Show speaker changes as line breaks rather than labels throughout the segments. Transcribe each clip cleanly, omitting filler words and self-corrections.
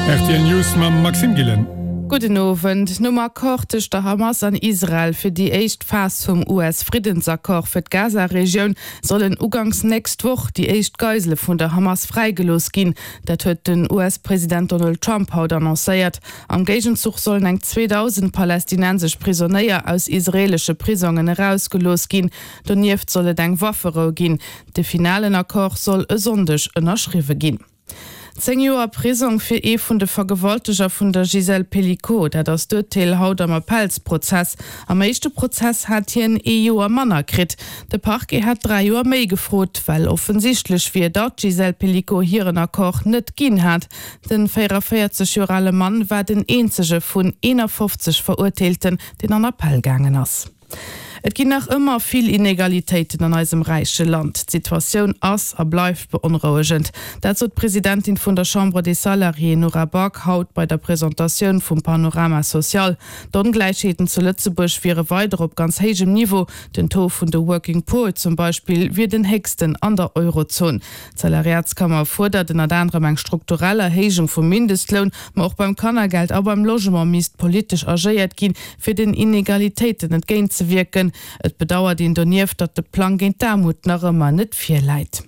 Rtl News mam Maxime Gillen.
Gudden Owend. Nom Accord tëscht der Hamas an Israel fir déi éischt Phas vum US-Friddensaccord fir d'Gaza-Regioun sollen uganks nächst Woch déi éischt Geisele vun der Hamas fräigelooss ginn. Dat huet den US-President Donald Trump haut annoncéiert. Am Géigenzuch sollen eng 2.000 palästinensesch Prisonéier aus israeelesche Prisongen erausgelooss ginn. Donieft soll et eng Wafferou ginn. De finalen Accord soll e Sonndeg ënnerschriwwe ginn. 10 Joer Prisong fir ee vun de Vergewalteger vun der Gisèle Pelicot, dat ass d'Urteel haut am Appellsprozess. Am éischte Prozess hat hien ee Joer manner kritt. De Parquet hat 3 Joer méi gefrot, well offensichtlech wier, datt d'Gisèle Pelicot hiren Accord net ginn hat. Den 44 Joer ale Mann war den eenzege vun 51 Verurteelten, deen an Appell gaangen ass. Et ginn nach ëmmer vill Inegalitéiten an eisem räiche Land. D'Situatioun ass a bleift beonrouegend. Dat sot d'Presidentin vun der Chambre des Salariés Nora Back haut bei der Presentatioun vum Panorama social. D'Ongläichheeten zu Lëtzebuerg wiere weider op ganz héijem Niveau. Den Taux vun de Working Poor zum Beispill wier den héchsten an der Eurozon. D'Salariatskammer fuerdert ënnert anerem eng strukturell Erhéijung vum Mindestloun, ma och beim Kannergeld a beim Logement misst politesch agéiert ginn, fir den Inegalitéiten entgéint ze wierken. Et bedauert een donieft, datt de Plang géint d'Aarmut nach ëmmer net virläit.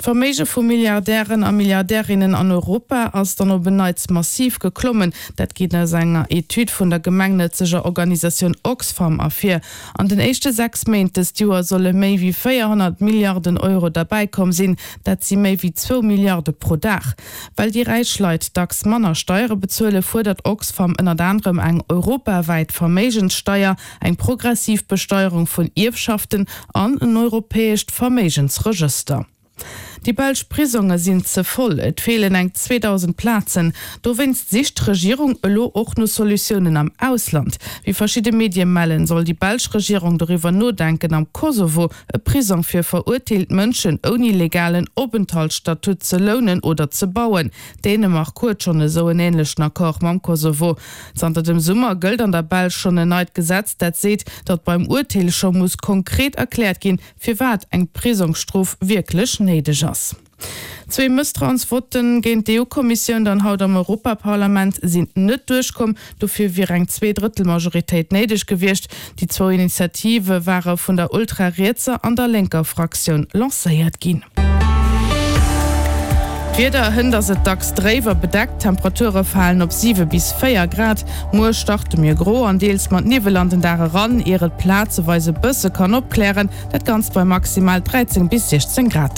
D'Verméige vu Milliardären a Milliardärinnen an Europa ass dann op en Neits massiv geklommen. Dat geet aus enger Etüd vun der gemengnëtzeger Organisatioun Oxfam ervir. An den éischte 6 Méint dëst Joer solle méi wéi 400 Milliarden Euro derbäikomm sinn. Dat si méi wéi zwou Milliarde pro Dag. Well déi räich Leit dacks manner Steiere bezuelen, fuerdert Oxfam ënnert anerem eng europawäit Verméigenssteier, eng progressiv Besteierung vun Ierfschaften an en europäescht Verméigensregëster. Déi belsch Prisonge sinn ze voll, et feelen eng 2.000 Plazen. Dowéinst sicht d'Regierung elo och no Solutiounen am Ausland. Wéi verschidde Medie mellen, soll déi belsch Regierung doriwwer nodenken, am Kosovo e Prisong fir verurteelt Mënschen ouni legalen Openthaltsstatut ze lounen oder ze bauen. Dänemark huet schonn esou en änlechen Accord mam Kosovo. Zanter dem Summer gëllt an der Belsch schonn en neit Gesetz, dat seet, datt beim Urteel scho muss konkret erkläert ginn, firwat eng Prisongsstrof wierklech néideg ass. Zwee Mësstrauensvotten géint d'EU-Kommissioun dann haut am Europaparlament sinn net duerchkomm. Dofir wier eng Zweedrëttelmajoritéit néideg gewiescht. Déi zwou Initiative ware vun der ultrarietser an der lénker Fraktioun lancéiert ginn. D'Wieder, Hënt ass et dacks dréif a bedeckt, d'Temperature falen op 7 bis 4 Grad. Muer starte mir gro an deels mat Niwwel an den Dag eran, ier et plazeweis e bësse kann opklären, dat Ganzt bei maximal 13 bis 16 Grad.